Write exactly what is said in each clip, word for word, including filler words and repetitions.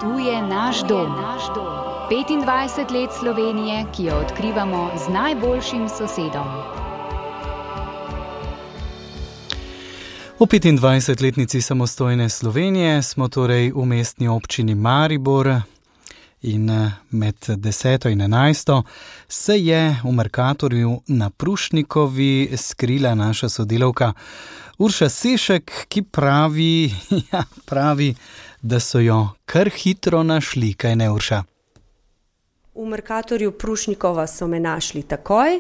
Tu je naš dom. petindvajset let Slovenije, ki jo odkrivamo z najboljšim sosedom. V petindvajsetletnici samostojne Slovenije smo torej v mestni občini Maribor in med deseto in enajsto se je v Mercatorju na Prušnikovi skrila naša sodelavka Urša Sešek, ki pravi, ja, pravi, da so jo kar hitro našli, kaj ne, Urša? V Mercatorju Prušnikova so me našli takoj.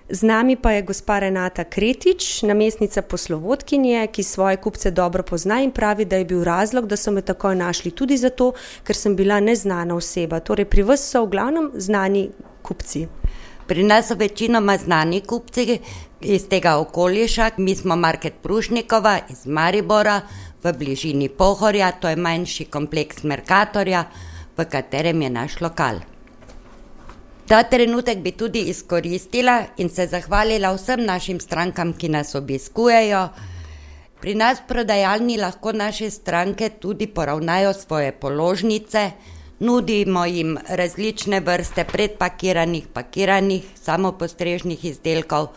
Z nami pa je gospa Renata Kretič, namestnica poslovodkinje, ki svoje kupce dobro pozna in pravi, da je bil razlog, da so me takoj našli tudi zato, ker sem bila neznana oseba. Torej pri vas so v glavnem znani kupci. Pri nas so večinoma znani kupci iz tega okoliša. Mi smo Market Prušnikova iz Maribora v bližini Pohorja, to je manjši kompleks Mercatorja, v katerem je naš lokal. Ta trenutek bi tudi izkoristila in se zahvalila vsem našim strankam, ki nas obiskujejo. Pri nas v prodajalni lahko naše stranke tudi poravnajo svoje položnice, nudimo jim različne vrste predpakiranih, pakiranih, samopostrežnih izdelkov.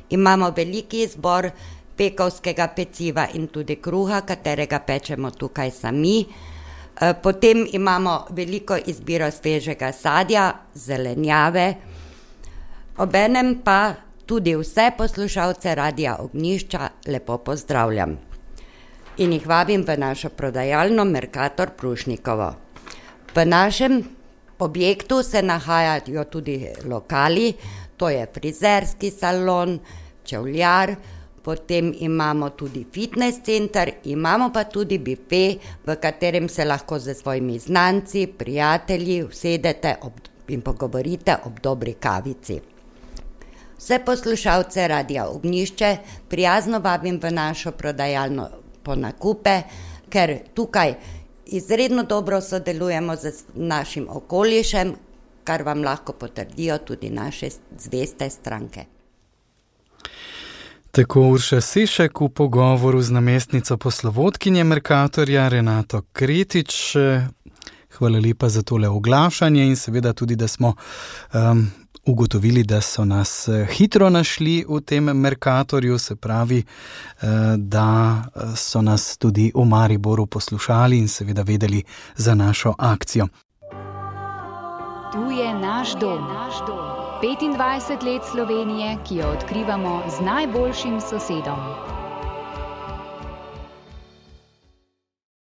Imamo veliki izbor pekovskega peciva in tudi kruha, katerega pečemo tukaj sami. Potem imamo veliko izbiro svežega sadja, zelenjave, obenem pa tudi vse poslušalce Radia Ognjišča lepo pozdravljam in jih vabim v našo prodajalno Mercator Prušnikovo. V našem objektu se nahajajo tudi lokali, to je frizerski salon, čevljar, potem imamo tudi fitness center, imamo pa tudi bife, v katerem se lahko z svojimi znanci, prijatelji usedete ob, in pogovorite ob dobri kavici. Vse poslušalce Radia Ognjišče prijazno vabim v našo prodajalno po nakupe, ker tukaj izredno dobro sodelujemo z našim okolišem, kar vam lahko potrdijo tudi naše zveste stranke. Tako Urša Sešek v pogovoru z namestnico poslovodkinje Mercatorja Renato Kretič. Hvala lepa za tole oglašanje in seveda tudi, da smo um, ugotovili, da so nas hitro našli v tem Mercatorju, se pravi, uh, da so nas tudi v Mariboru poslušali in seveda vedeli za našo akcijo. Tu je naš dom. petindvajset let Slovenije, ki jo odkrivamo z najboljšim sosedom.